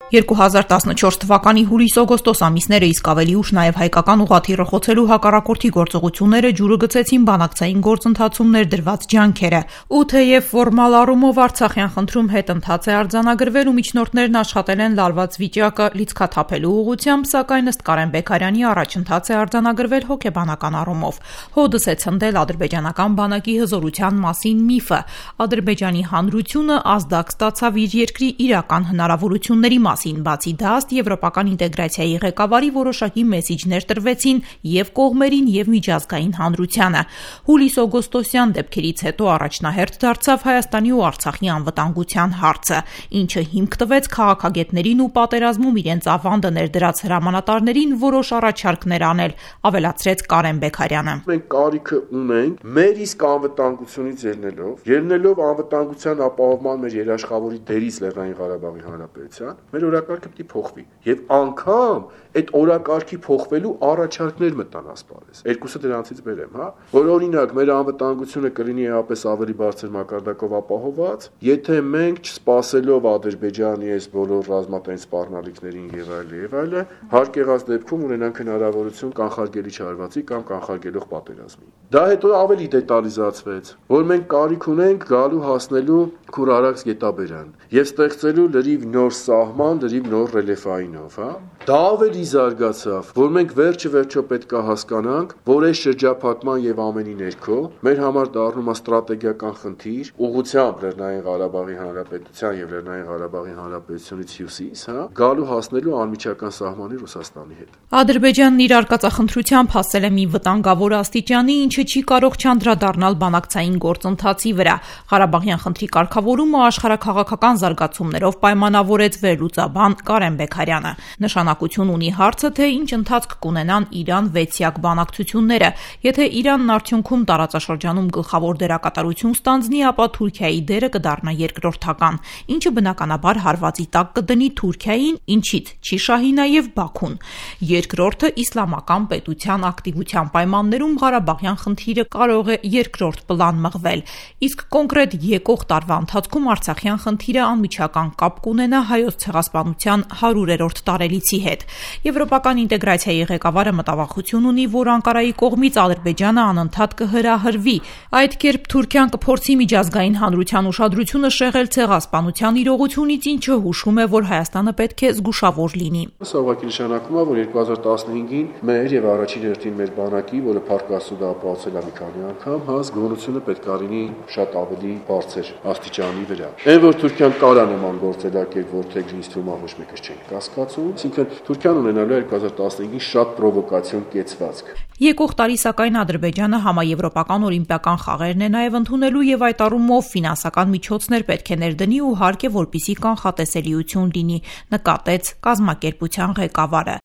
2014 թվականի հուլիս-օգոստոս ամիսները իսկ ավելի ուշ նաև հայկական ուղղաթիռը խոցելու հակառակորդի գործողությունները ջուրը գցեցին բանակցային գործընթացում ներդրված ջանքերը։ Ու թեև ֆորմալ առումով Արցախյան խնդրում հետընթաց է արձանագրվել ու միջնորդներն աշխատել են լարված վիճակը լիցքաթափելու ուղղությամբ, սակայն ըստ Կարեն Բեգարյանի առաջընթաց է արձանագրվել հոգեբանական առումով։ Հոդս է ցնդել ադրբեջանական բանակի հզորության մասին միֆը։ Ադրբեջանի հանրությունը ազդակ ստացավ իր երկրի իրական հնարավորությունների մասին, բացի դա, ըստ եվրոպական ինտեգրացիայի ղեկավարի որոշակի մեսիջներ տրվեցին եւ կողմերին եւ միջազգային հանրությանը։ Հուլիս-օգոստոսյան դեպքերից հետո առաջնահերթ դարձավ Հայաստանի ու Արցախի անվտանգության հարցը, ինչը հիմք տվեց քաղաքագետներին ու պատերազմում իրենց ավանդը ներդրած հրամանատարներին որոշ առաջարկներ անել, ավելացրեց Կարեն Բեգարյանը։ Մենք կարիքը ունենք մեր իսկ անվտանգությունից ելնելով անվտանգության ապահովման մեր երաշխավորի դերից Լեռնային Ղարաբաղի Հանրապետության, մեր օրակարգը պետք է փոխվի եւ անգամ այդ օրակարգի փոխվելու առաջարկներ մտան ասպարեզ։ Երկուսը դրանցից բերեմ, որ օրինակ մեր անվտանգությունը կլինի էապես ավելի բարձր մակարդակով ապահովված, եթե մենք չսպասելով Ադրբեջանի այս բոլոր ռազմատենչ սպառնալիքներին եւ այլը, հարկ եղած դեպքում ունենանք հնարավորություն կանխարգելի չարվածի կամ կանխարգելող պատերազմի։ Դա հետո ավելի դետալիզացվեց, որ մենք կարիք ունենք գալու հասնելու Քուրարաքս գետաբերան եւ ստեղծելու լրիվ նոր սահման, լրիվ նոր ռելիեֆայինով, Դա ավելի զարգացավ, որ մենք վերջը պետք է հասկանանք, որ այս շրջափակման եւ ամենի ներքո մեր համար դառնում է ստրատեգիական խնդիր ուղղությամբ Լեռնային Ղարաբաղի Հանրապետության եւ Լեռնային Ղարաբաղի Հանրապետությունից հյուսիս, գալու հասնելու անմիջական սահմանի Ռուսաստանի հետ։ Ադրբեջանն իր արկածախնդրությամբ հասել է մի վտանգավոր աստիճանի, ինչը չի կարող չանդրադառնալ բանակցային գործընթացի վրա։ Ղարաբաղյան խնդրի կարգավորումը աշխարհաքաղաքական զարգացումներով պայմանավորեց վերլուծաբան Կարեն Բեգարյանը։ Նշանակություն ունի հարցը, թե ինչ ընթացք կունենան Իրան-6-յակ բանակցությունները։ Եթե Իրանն արդյունքում տարածաշրջանում գլխավոր դերակատարություն ստանձնի, ապա Թուրքիայի դերը կդառնա երկրորդական, ինչը բնականաբար հարվածի տակ կդնի Թուրքիային, ինչից չի շահի նաև Բաքուն։ Երկրորդը իսլամական պետության ակտիվության պայմաններում Ղարաբաղյան խնդիրը կարող է երկրորդ պլան մղվել, իսկ կոնկրետ եկող տարվա ընթացքում Արցախյան խնդիրը անմիջական կապ կունենա Հայոց ցեղասպանության 100-րդ տարելիցի հետ։ Եվրոպական ինտեգրացիայի ղեկավարը մտավախություն ունի, որ Անկարայի կողմից Ադրբեջանը անընդհատ կհրահրվի։ Այդ կերպ Թուրքիան կփորձի միջազգային հանրության ուշադրությունը շեղել ցեղասպանության իրողությունից, ինչը հուշում է, որ Հայաստանը պետք է զգուշավոր լինի։ Սա ուղղակի նշանակում է, որ 2015-ին մեր եւ առաջին հերթին մեր բանակի, որը Փարքասուդը ապահովել է մի քանի անգամ, զգոնությունը պետք է լինի շատ ավելի բարձր աստիճանի վրա։ Այն որ Թուրքիան կարա նման գործելակերպ որդեգրի ինստրումент ոչ մեկս չեն կասկածում, այսինքն Թուրքիան ունենալու է 2015-ին շատ պրովոկացիոն կեցվածք։ Եկող տարի սակայն Ադրբեջանը համաեվրոպական օլիմպիական խաղերն է նաև ընդունելու եւ այդ առումով ֆինանսական միջոցներ պետք է ներդնի ու հարկ է, որպիսի կանխատեսելիություն լինի, նկատեց կազմակերպության ղեկավարը։